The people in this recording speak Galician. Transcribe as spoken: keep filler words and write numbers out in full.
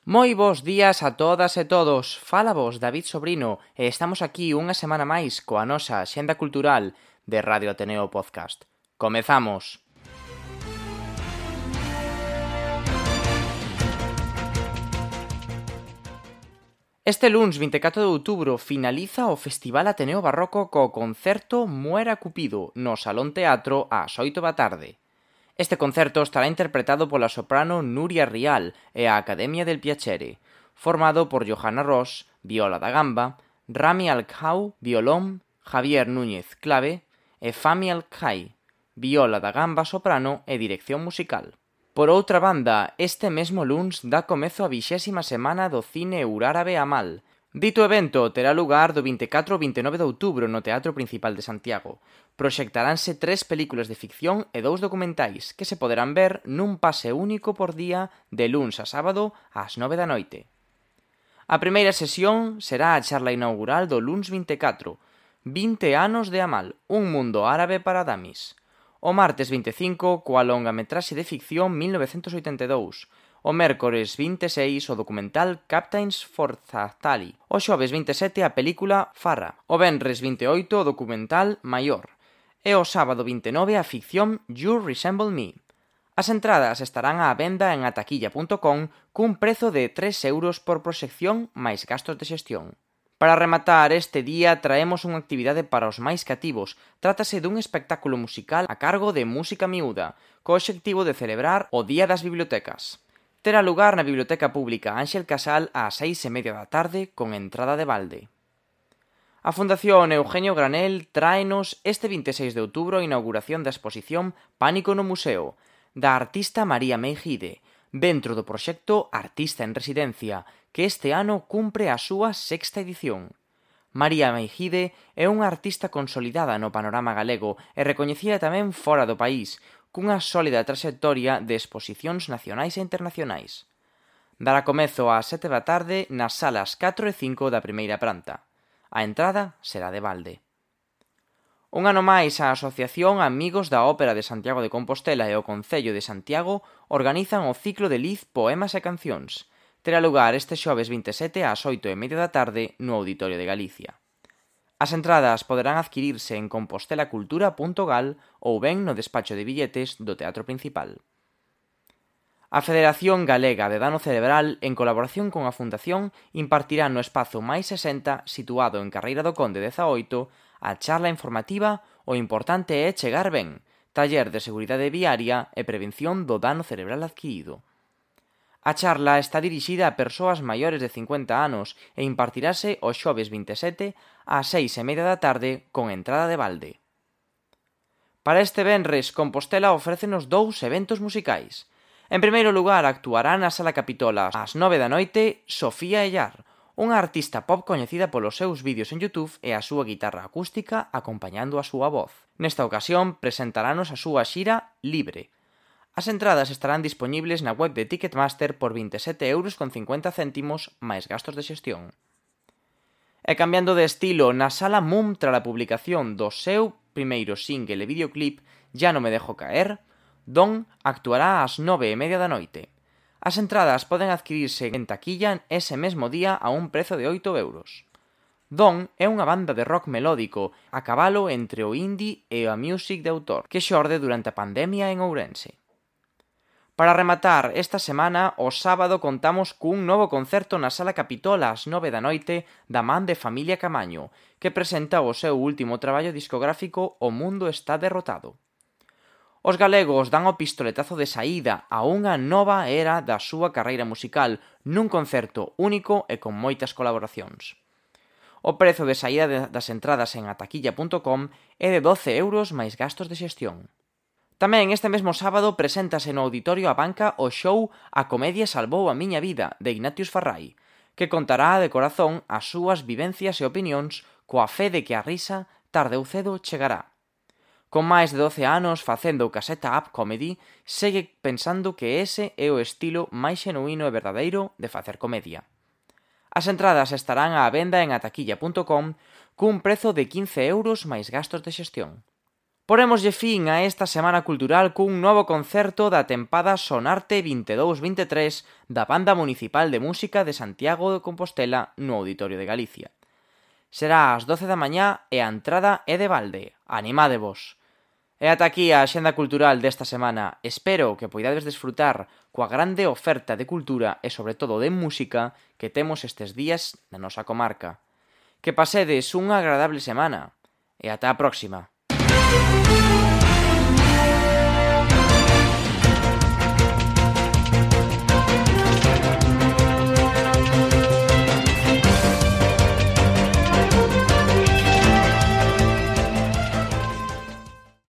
Moi bos días a todas e todos, fala vos David Sobrino e estamos aquí unha semana máis coa nosa axenda cultural de Radio Ateneo Podcast. Comezamos! Este luns vinte e catro de outubro finaliza o Festival Ateneo Barroco co concerto Muera Cupido no Salón Teatro ás oito da tarde. Este concerto estará interpretado pola soprano Nuria Rial e a Academia del Piacere, formado por Johanna Ross, viola da gamba, Rami Al-Khau, violón, Javier Núñez, clave, e Fami Al-Khai, viola da gamba soprano e dirección musical. Por outra banda, este mesmo luns dá comezo a vixésima semana do cine eurárabe Amal. Dito evento terá lugar do vinte e catro ao vinte e nove de outubro no Teatro Principal de Santiago. Proxectaranse tres películas de ficción e dous documentais que se poderán ver nun pase único por día de luns a sábado ás nove da noite. A primeira sesión será a charla inaugural do luns vinte e catro, vinte anos de Amal, un mundo árabe para damis. O martes vinte e cinco, coa longametraxe de ficción mil novecentos oitenta e dous, o mércores vinte e seis o documental Captains for Zahtali, o xoves vinte e sete a película Farra, o venres vinte e oito o documental Maior, e o sábado vinte e nove a ficción You Resemble Me. As entradas estarán á venda en ataquilla punto com cun prezo de tres euros por proxección máis gastos de xestión. Para rematar este día traemos unha actividade para os máis cativos. Trátase dun espectáculo musical a cargo de Música Miúda, co obxectivo de celebrar o Día das Bibliotecas. Terá lugar na Biblioteca Pública Ángel Casal ás seis e media da tarde con entrada de balde. A Fundación Eugenio Granel tráenos este vinte e seis de outubro a inauguración da exposición Pánico no Museo, da artista María Meijide, dentro do proxecto Artista en Residencia, que este ano cumpre a súa sexta edición. María Meijide é unha artista consolidada no panorama galego e recoñecida tamén fora do país, cunha sólida traxectoria de exposicións nacionais e internacionais. Dará comezo ás sete da tarde nas salas catro e cinco da primeira planta. A entrada será de balde. Un ano máis a Asociación Amigos da Ópera de Santiago de Compostela e o Concello de Santiago organizan o ciclo de Liz Poemas e Cancións. Terá lugar este xoves vinte e sete ás oito e media da tarde no Auditorio de Galicia. As entradas poderán adquirirse en compostelacultura punto gal ou ben no despacho de billetes do Teatro Principal. A Federación Galega de Dano Cerebral, en colaboración con a Fundación, impartirá no espazo máis sesenta, situado en Carreira do Conde dezaoito, a charla informativa O importante é chegar ben, taller de seguridade viaria e prevención do dano cerebral adquirido. A charla está dirixida a persoas maiores de cincuenta anos e impartirase o xoves vinte e sete ás seis e media da tarde con entrada de balde. Para este venres, Compostela ofrécenos dous eventos musicais. En primeiro lugar, actuará na Sala Capitola ás nove da noite Sofía Ellar, unha artista pop coñecida polos seus vídeos en YouTube e a súa guitarra acústica acompañando a súa voz. Nesta ocasión presentaranos a súa xira Libre. As entradas estarán dispoñibles na web de Ticketmaster por vinte e sete euros con cincuenta céntimos máis gastos de xestión. E cambiando de estilo, na Sala Mum tras a publicación do seu primeiro single e videoclip Ya no me dejo caer, Don actuará ás nove e media da noite. As entradas poden adquirirse en taquilla ese mesmo día a un prezo de oito euros. Don é unha banda de rock melódico a cabalo entre o indie e a music de autor que xorde durante a pandemia en Ourense. Para rematar esta semana, o sábado contamos cun novo concerto na Sala Capitola ás nove da noite da man de Familia Camaño, que presenta o seu último traballo discográfico O mundo está derrotado. Os galegos dan o pistoletazo de saída a unha nova era da súa carreira musical nun concerto único e con moitas colaboracións. O prezo de saída das entradas en ataquilla punto com é de doce euros máis gastos de xestión. Tamén este mesmo sábado preséntase no Auditorio A Banca o show A comedia salvou a miña vida, de Ignatius Farrai, que contará de corazón as súas vivencias e opinións coa fe de que a risa, tarde ou cedo, chegará. Con máis de doce anos facendo caseta up comedy, segue pensando que ese é o estilo máis xenuíno e verdadeiro de facer comedia. As entradas estarán á venda en ataquilla punto com cun prezo de quince euros máis gastos de xestión. Porémoslle fin a esta semana cultural cun novo concerto da tempada Sonarte vinte e dous vinte e tres da Banda Municipal de Música de Santiago de Compostela no Auditorio de Galicia. Será ás doce da mañá e a entrada é de balde. Animádevos! E ata aquí a axenda cultural desta semana. Espero que poidades desfrutar coa grande oferta de cultura e sobre todo de música que temos estes días na nosa comarca. Que pasedes unha agradable semana. E ata a próxima.